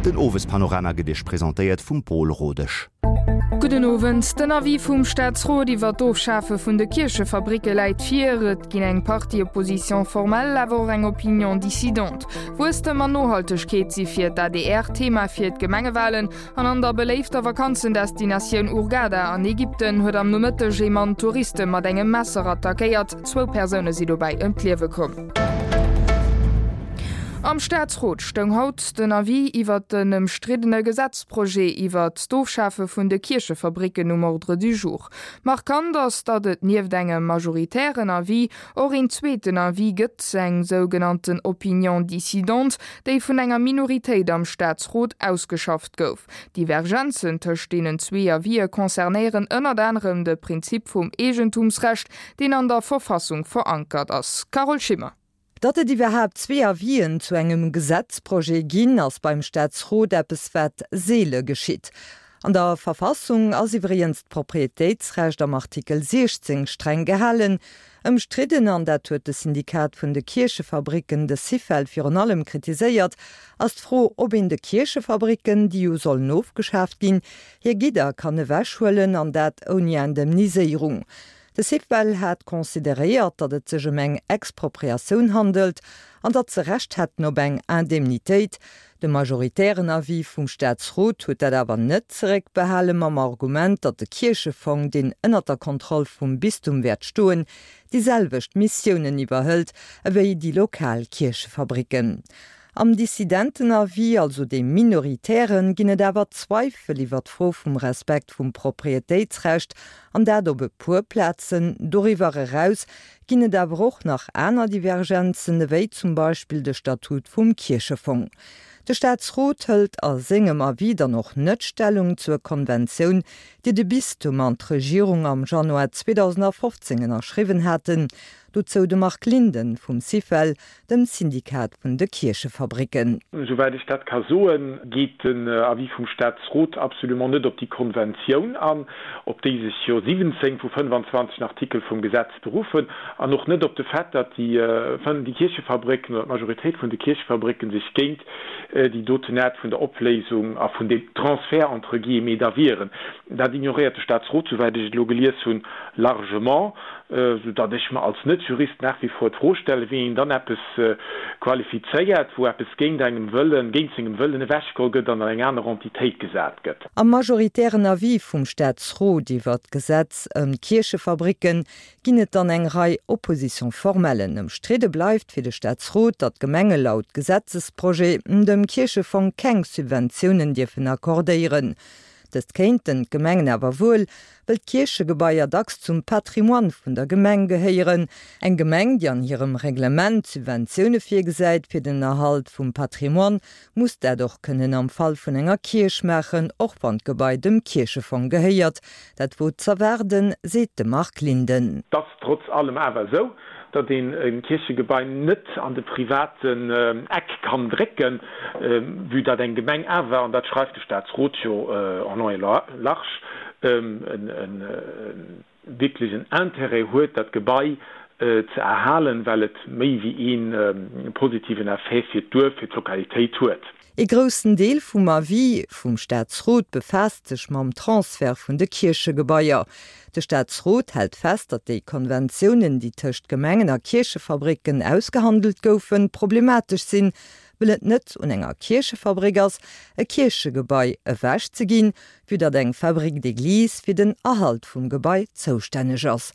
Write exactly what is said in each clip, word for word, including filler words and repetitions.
Den Owespanorama gëtt Iech presentéiert vum Paul Rodesch. Gudden Owend. Den Avis vum Staatsrot iwwer d'Ofschafe vun de Kierchefabricke läit vir. Et ginn eng Partie Oppositions formelles, awer och eng Opinion dissidente. Wuesstem an Nohaltegkeet si fir d'ADR Thema fir d'Gemengewalen. An an der beléifter Vakanzendestinatioun Hurghada an Ägypten huet am Nomëtteg ee Mann Touriste mat engem Messer attackéiert. Zwou Persoune si dobäi ëm d'Liewe komm. Am Staatsrot stoung haut den Avis iwwert den ëmstriddene Gesetzprojet iwwert d'Ofschafe vun de Kierchefabricken um Ordre du jour. Markant ass, datt et nieft engem majoritären Avis och een zweeten Avis gëtt, eng sougenannten Opinion dissidente, déi vun enger Minoritéit am Staatsrot ausgeschafft gouf. D'Divergenzen tëscht deenen zwee Avisë concernéieren ënnert anerem de Prinzip vum Eegentumsrecht, deen an der Verfassung verankert ass. Carole Schimmer. Datt et iwwerhaapt zwee Avisen zu engem Gesetzprojet ginn, ass beim Staatsrot eppes wat seele geschitt. An der Verfassung ass iwwregens d'Proprietéitsrecht am Artikel siechzéng streng gehalen. Ëmstridden, an dat huet de Syndikat vun de Kierchefabricken, de Syfel, virun allem kritiséiert, ass d'Fro, ob een de Kierchefabricken, déi jo sollen ofgeschaaft ginn, hir Gidder kann ewechhuelen, an dat ouni Indemniséierung. De Syfel hat consideréiert, datt et sech ëm eng Expropriatioun handelt an datt se Recht hätten op eng Indemnitéit. De majoritären Avis vum Staatsrot huet dat awer net zeréckbehale mam Argument, datt de Kierchefong, deen ënnert der Kontroll vum Bistum wäert stoen, déi selwecht Missiounen iwwerhëlt ewéi déi lokal Kierchefabricken. Am Dissidentenavis, also deem minoritären, ginn et awer Zweifel iwwer d'Fro vum Respekt vum Proprietéitsrecht, an dat op e puer Plazen. Doriwwer eraus ginn et awer och nach aner Divergenzen, ewéi zum Beispill de Statut vum Kierchefong. De Staatsrot hëlt a sengem Avis dann och net Stellung zur Konventioun, déi de Bistum an d'Regierung am Januar zweedausendafofzéng ënnerschriwwen haten. Dozou de Marc Linden vum Syfel, dem Syndikat vun de Kierchefabricken. Esouwäit ech dat ka soen, geet den Avis vum Staatsrot absolument net op déi Konventioun an, op déi sech jo siwwenzéng vu fënnefanzwanzeg Artikel vum Gesetz beruffen, an och net op de Fait, datt déi Kierchefabricken oder d'Majoritéit vun de Kierchefabricken sech géint déi doten Aart vun der Opléisung a vun deem Transfert entre guillemets da wieren. Dat ignoréiert de Staatsrot, souwäit ech et elo gelies hunn, largement, soudatt ech mer als Net-Jurist nach wie vor d'Fro stellen, wéi een dann eppes qualifizéiert, wou eppes géint engem Wëllen, géint sengem Wëllen ewechgeholl gëtt an an eng aner Entitéit gesat gëtt. Am majoritären Avis vum Staatsrot iwwert d'Gesetz ëm d'Kierchefabricken ginn et dann eng Rei Opposition-formellen. Ëmstridde bleift fir de Staatsrot, datt d'Gemenge laut Gesetzesprojet dem Kierchefong keng Subventiounen dierfen accordéieren. Dëst kéinten d'Gemengen awer wuel, wëll d'Kierchegebaier dacks zum Patrimoine vun der Gemeng gehéieren. Eng Gemeng, déi an hirem Reglement Subventioune virgesäit fir den Erhalt vum Patrimoine, muss dat och kënnen am Fall vun enger Kierch maachen, och wann d'Gebai dem Kierchefong gehéiert. Dat wor z'erwaarden, seet de Marc Linden. Et ass trotz allem awer esou, datt een e Kierchegebai net an de privaten Eck kann drécken, vue datt eng Gemeng awer, an dat schreift de Staatsrot jo en long et large, e wierklech en Intérêt huet, dat Gebai ze erhalen, well et méi wéi ee positiven Effet fir d'Duerf, fir d'Lokalitéit huet. Ee groussen Deel vum Avis vum Staatsrot befaasst sech mam Transfert vun de Kierchegebaier. De Staatsrot hält fest, datt déi Konventiounen, déi tëscht Gemengen a Kierchefabricken ausgehandelt goufen, problematesch sinn, wëll et net un enger Kierchefabrik ass, e Kierchegebai ewechzeginn, vue datt eng Fabrique d'église fir den Erhalt vum Gebai zoustänneg ass.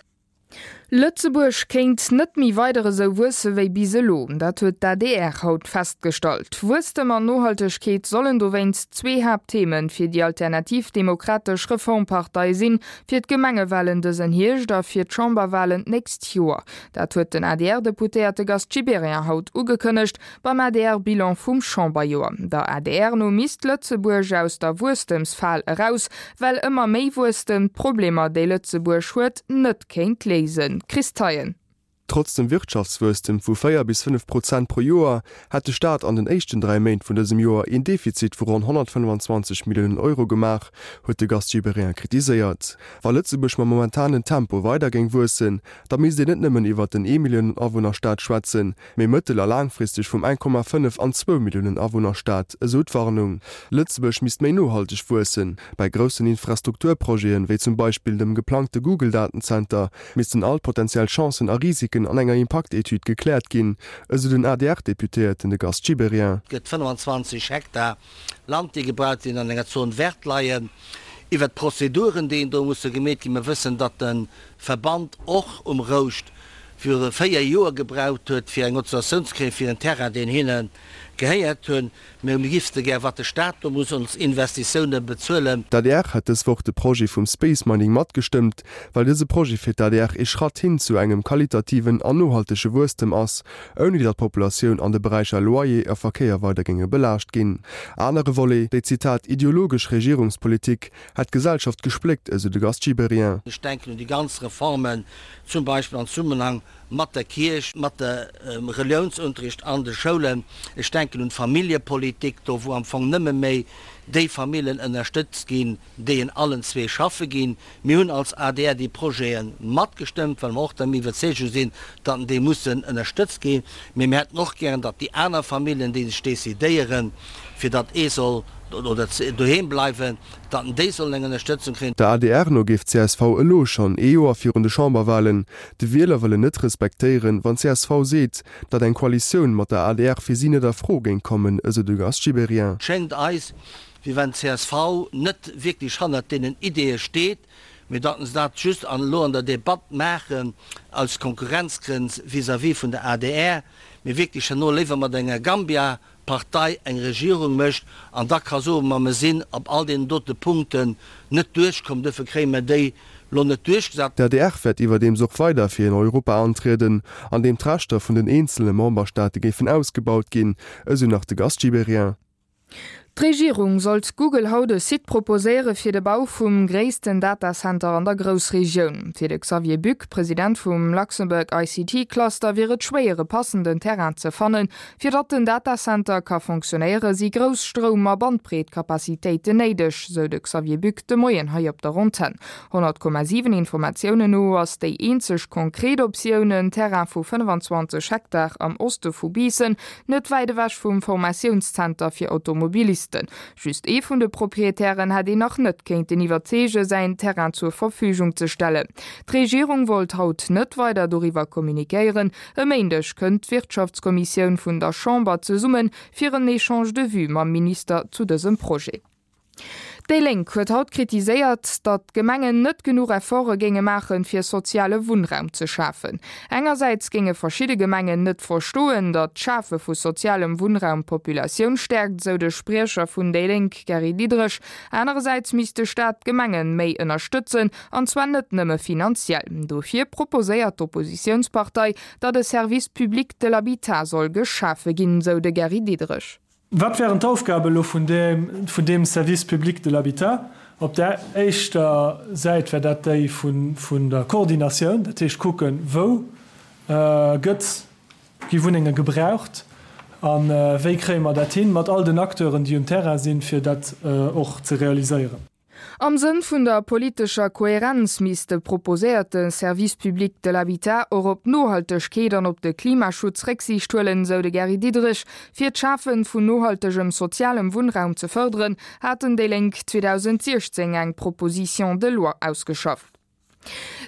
Lëtzebuerg kéint net méi weider esou wuesse wéi bis elo. Dat huet d'ADR haut festgestallt. Wuesstem an Nohaltegkeet sollen dowéinst zwee Haapttheme fir déi Alternativ Demokratesch Reformpartei sinn, fir d'Gemengewalen dësen Hierscht a fir d'Chamberwalen d'nächst Joer. Dat huet den A D R-Deputéierte Gast Gibéryen haut ugekënnegt beim A D R-Bilan vum Chamberjoer. Der A D R no misst Lëtzebuerg aus der Wuesstemsfal eraus, well ëmmer méi Wuesstem d'Problemer, déi Lëtzebuerg huet, net kéint léisen. Chris Theien. Trotz dem Wirtschaftswuesstem vu véier bis fënnef Prozent pro Joer hätt de Staat an den éischten dräi Méint vun dësem Joer een Defizit vu ronn honnertfënnfanzwanzeg Milliounen Euro gemaach, huet de Gast Gibéryen kritiséiert. Wa Lëtzebuerg mam momentanen Tempo weider géing wuessen, da misst een net nëmmen iwwert den Ee-Milliounen-Awunner-Staat schwätzen, mee mëttel a laangfristeg vum eng Komma fënnef an zwou Milliounen Awunner-Staat, esou d'Warnung. Lëtzebuerg misst méi nohalteg wuessen. Bei groussen Infrastrukturprojeten, wéi zum Beispill dem geplangte Google-Datenzenter, missten all potenziell Chancen a Risiken an enger Impaktetüd gekläert ginn, esou den A D R-Deputéierten de Gast Gibéryen. Et gëtt fënnfanzwanzeg Hektar Land, déi gebraucht ginn, an enger Zone verte leien. Iwwert d'Prozeduren, déi do musse gemeet ginn, mir wëssen, datt de Verband och um Rouscht viru véier Joer gebraucht huet, fir eng Autorisatioun ze kréien fir en Terrain, deen hinne gehéiert hunn. Mir wüsste gär, wat de Staat do muss ons Investitioune bezuelen. D'A D R hätt dës Woch de Projet vum Space Mining matgestëmmt, well dëse Projet fir d'A D R ee Schratt hin zu engem qualitativen an nohaltege Wuesstem ass, ouni datt d'Populatioun an de Beräicher Loyer a Verkéier weider géinge belaascht ginn. Anere Volet, déi, Zitat, ideologesch Regierungspolitik hätt d'Gesellschaft gespléckt, esou de Gast Gibéryen. Ech denken un déi ganz Reformen, zum Beispill am Zesummenhang mat der Kierch, mat dem Reliounsunterricht an de Schoulen. Ech denken un d'Familljepolitik, do wou am Fong nëmme méi déi Famillen ënnerstëtzt ginn, déi en allen zwee schaffe ginn. Mir hunn als A D R déi Projete matgestëmmt, well mer och der Iwwerzeegung sinn, datt déi mussen ënnerstëtzt ginn. Mee mir hätten och gären, datt déi aner Famillen, déi sech decidéieren, fir datt ee soll oder doheem bleiwen, datt déi sollen eng Ënnerstëtzung kréien. Der A D R no géif d'C S V elo schonn, ee Joer virun de Chamberwalen, de Wielerwëllen net respektéieren, wann d'C S V seet, datt eng Koalitioun mat der A D R fir si net a Fro géing kommen, esou de Gast Gibéryen. Et schéngt eis, wéi wann d'C S V net wierklech hannert deenen Ideeë steet, mee datt se dat just an elo an der Debatt maachen aus Konkurrenzgrënn vis-à-vis vun der A D R, mee wierklech herno léiwer mat enger Gambia Partei eng Regierung mécht an da ka soen, ma mer sinn op all deenen dote Punkten net duerchkomm, duerfir kréie mer déi lo net duerchgesat. D'A D R wäert iwwerdeems och weider fir en Europa antrieden, an deem d'Rechter vun den eenzele Memberstaate géifen ausgebaut ginn, esou nach de Gast Gibéryen. D'Regierung sollt Google haut e Site proposéiere fir de Bau vum gréissten Datacenter an der Groussregioun. Fir de Xavier Buck, President vum Luxembourg I C T Cluster, wier et schwéier e passenden Terrain ze fannen. Fir datt den Datacenter ka funktionéiere si grouss Stroum a Bandbreetkapazitéiten néideg, sou de Xavier Buck de Moien hei op der Antenn. honnert Komma siwen Informatiounen no ass déi eenzeg konkret Optioun en Terrain vu fënnfanzwanzeg Hektar am Oste vu Biissen, net wäit ewech vum Formatiounszenter fir Automobilisten. Just ee vun de Proprietären hätt een nach net kéinten iwwerzeege säin Terrain zur Verfügung ze stellen. D'Regierung wollt haut net weider doriwwer kommunikéieren. E Méindeg kënnt d'Wirtschaftskommissioun vun der Chamber zesummen fir en Échange de vues mam Minister zu dësem Projet. Déi Lénk huet haut kritiséiert, datt d'Gemengen net genuch Efforte géinge maachen, fir soziale Wunnraum ze schafen. Engersäits géinge verschidde Gemengen net verstoen, datt d'Schafe vu sozialem Wunnraum d'Populatioun stäerkt, sou de Spriecher vun déi Lénk Gary Diderich. Anerersäits misst de Staat d'Gemengen méi ënnerstëtzen, an zwar net nëmme finanziell. Dofir proposéiert d'Oppositiounspartei, datt e Service public de l'habitat soll geschafe ginn, sou de Gary Diderich. Wat wären d'Aufgabe lo vun deem, vun deem Service public de l'habitat? Op der éischter Säit wär dat déi vun, vun der Koordinatioun, dat heescht kucken, wou äh, gëtt gi Wunnenge gebraucht an äh, wéi kréie mer dat hin mat all den Acteuren, déi um Terrain sinn, fir dat äh, och ze realiséieren. Am Sënn vun der politescher Kohärenz misst de proposéierte Service public de l'habitat och op d'Nohaltegkeet an op de Klimaschutz Récksiicht huelen, sou de Gary Diderich. Fir d'Schafe vun nohaltegem sozialem Wunnraum ze fërderen, haten déi Lénk zweedausendsiechzéng eng Proposition de loi ausgeschafft.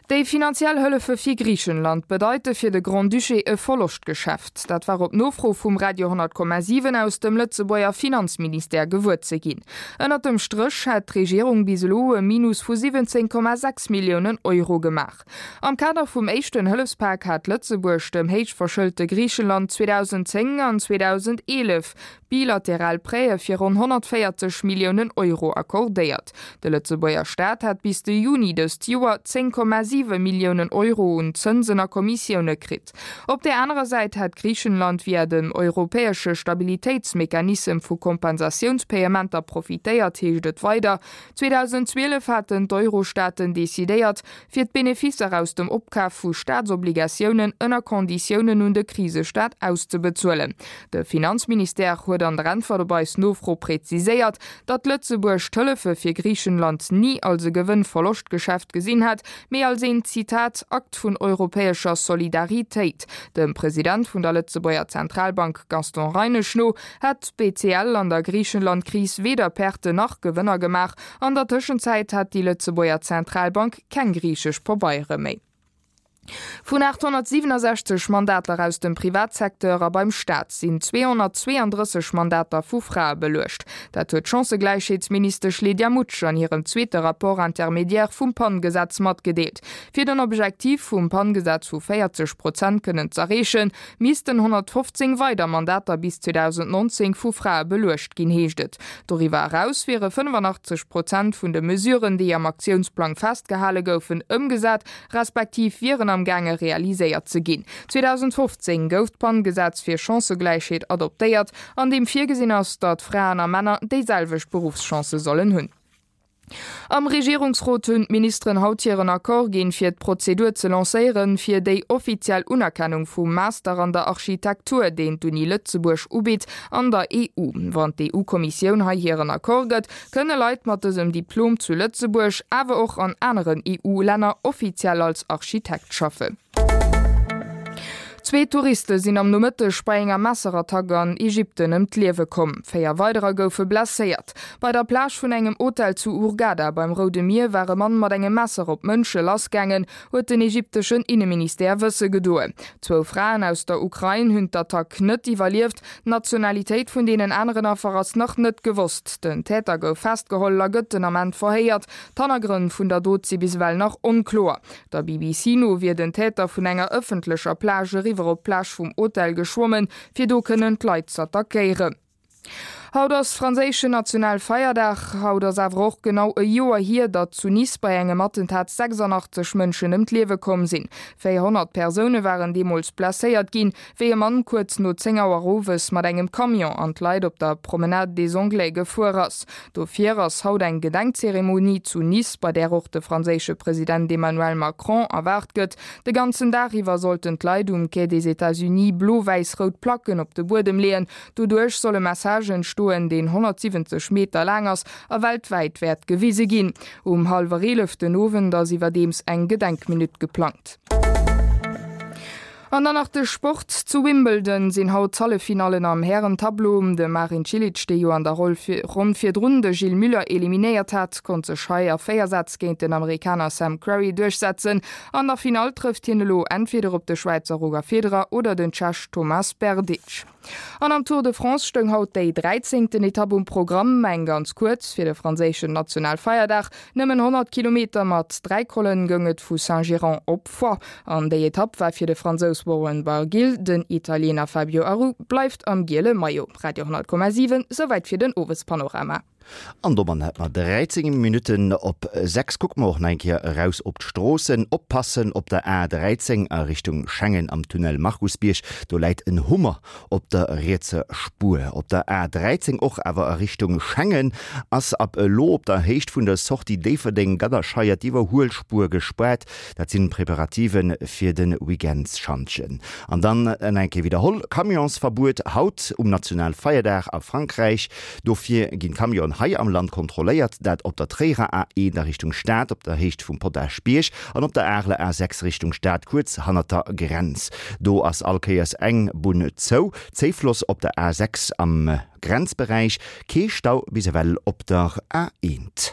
Déi finanziell Hëllefe fir Griichenland bedeite fir de Grand-Duché e Verloschtgeschäft. Dat war op Nofro vum Radio honnert Komma siwen aus dem Lëtzebuerger Finanzministère gewuer ze ginn. Ënner dem Stréch hätt d'Regierung bis elo e Minus vu siwwenzéng Komma sechs Milliounen Euro gemaach. Am Kader vum éischten Hëllefspak hat Lëtzebuerg dem héichverschëlte Griichenland zweedausendzéng an zweedausendeelef bilateral Prêtë fir ronn honnertvéierzeg Milliounen Euro accordéiert. De Lëtzebuerger Staat hat bis de Juni dëst Joer zéng Komma siwe Milliounen Euro un Zënsen a Kommissioune kritt. Op där anerer Säit hätt Griichenland via den europäesche Stabilitéitsmechanissem vu Kompensatiounspayementer profitéiert, heescht et weider. zweedausendzwielef haten d'Eurostaaten decidéiert, fir d'Beneficer aus dem Opkaf vu Staatsobligatiounen ënner Konditiounen un de Krisestaat auszebezuelen. De Finanzministère huet an der Äntwert op eis Nofro präziséiert, datt Lëtzebuerg d'Hëllefe fir Griichenland ni als e Gewënn-Verloscht-Geschäft gesinn hätt, mee als een, Zitat, Akt vun europäescher Solidaritéit. Dem President vun der Lëtzebuerger Zentralbank Gaston Reinesch no hätt d'BCL an der Griichenland-Kris weder Perten nach Gewënner gemaach. An der Tëschenzäit hätt déi Lëtzebuerger Zentralbank keng griichesch Pabeiere méi. Vun aathonnertsiwwenasechzeg Mandater aus dem Privatsecteur a beim Staat sinn zweehonnertzweeandrësseg Mandater vu Frae beluecht. Dat huet d'Chancëgläichheetsministesch Lydia Mutsch an hirem zweete Rapport intermédiaire vum PAN-Gesetz matgedeelt. Fir den Objektiv vum PAN-Gesetz vu véierzeg Prozent kënnen z'erreechen, missten honnertfofzéng weider Mandater bis zweedausendnonzéng vu Frae beluecht ginn, heescht et. Doriwwer eraus wiere fënnefanachtzeg Prozent vun de Mesuren, déi am Aktiounsplang festgehale goufen, ëmgesat, respektiv wieren am gaange realiséiert ze ginn. zweedausendfofzéng gouf d'PAN-Gesetz fir Chancëgläichheet adoptéiert, an deem virgesinn ass, datt Fraen a Männer déiselwecht Beruffschancë sollen hunn. Am Regierungsrot hunn d'Ministeren haut hiren Accord ginn, fir d'Prozedur ze lancéieren, fir déi offiziell Unerkennung vum Master an der Architektur, deen d'Uni Lëtzebuerg ubitt, an der E U. Wann d'E U-Kommissioun hei hiren Accord gëtt, kënne Leit mat dësem Diplom zu Lëtzebuerg, awer och an aneren E U-Länner offiziell als Architekt schaffen. Zwee Touriste sinn am Nomëtteg bei enger Messerattack an Ägypten ëm d'Liewe komm. Véier weiderer goufe blesséiert. Bei der Plage vun engem Hotel zu Hurghada beim Roude Mier war e Mann mat engem Messer op Mënsche lassgaangen, huet den ägypteschen Inneministère wësse gedoen. Zwou Fraen aus der Ukrain hunn d'Attack net iwwerlieft. D'Nationalitéit vun deenen aneren Affer ass nach net gewosst. Den Täter gouf festgeholl a gëtt den Ament verhéiert. D'Hannergrënn vun der Dot si bis ewell nach onkloer. Der B B C no wier den Täter vun enger ëffentlecher Plage eriwwer op d'Plage vum Hotel geschwommen, fir do kënnen d'Leit z'attackéieren. Haut ass franséischen Nationalfeierdag. Haut ass awer och genau e Joer hier, datt zu Nice bei engem Attentat sechsandachtzeg Mënschen ëm d'Liewe komm sinn. Véierhonnert Persoune waren deemools blesséiert ginn, wéi e Mann kuerz no zéng Auer owes mat engem Camion an d'Leit op der Promenade des Anglais gefuer ass. Dofir ass haut eng Gedenkzeremonie zu Nice, bei där och de franséische President Emmanuel Macron erwaart gëtt. De ganzen Dag iwwer sollten d'Leit um Quai des États-Unis blo-wäiss-rout Placken op de Buedem leeën. Doduerch soll e Message entstoen, deen honnertsiwwenzeg Meter laang ass a weltwäit wäert gewise ginn. Um hallwer eelef den Owend ass iwwerdeems eng Gedenkminutt geplangt. An dann nach de Sport, Zu Wimbledon sinn haut d'Halleffinallen am Hären-Tableau. De Marin Cilic, dee jo an der Ronn virdrun de Gilles Müller eliminéiert hat, konnt sech hei a véier Sätz géint den Amerikaner Sam Querrey duerchsetzen. An der Finall trëfft hien elo entweder op de Schwäizer Roger Federer oder den Tschech Tomas Berdych. An am Tour de France stoung haut déi dräizéngten Etapp um Programm, eng ganz kuerz fir de franséischen Nationalfeierdag, nëmmen honnert Kilometer mat dräi Collen goung et vu Saint-Girons op Foix. An déi Etapp war fir de Fransous Warren Barguil, den Italiener Fabio Aru bleift am giele Maillot. Radio honnert Komma siwen, souwäit fir den Owespanorama. An domat hätt mer dräizéng Minutten op sechs. Kucke mer och nach eng Kéier eraus op d'Stroossen. Oppassen op der A dräizéng a Richtung Schengen am Tunnel Markusbierg, do läit en Hummer op der rietser Spuer. Op der A dräizéng och awer a Richtung Schengen ass ab elo op der Héicht vun der Sortie Déifferdeng-Gadderscheier d'Iwwerhuelspuer gespaart. Dat sinn Preparative fir de Weekendsschantjen. An dann eng Kéier widderholl, Camionsverbuet haut um Nationalfeierdag a Frankräich. Dofir ginn d'Camionen hei am Land kontrolléiert, dat op der Tréierer A eent a Richtung Stad op der Héicht vum Potaschbierg an op der Areler A sechs Richtung Stad kuerz hannert der Grenz. Do ass all Kéiers eng Bunn zou. Zéifloss op der A sechs am Grenzberäich, kee Stau bis ewell op der A eent.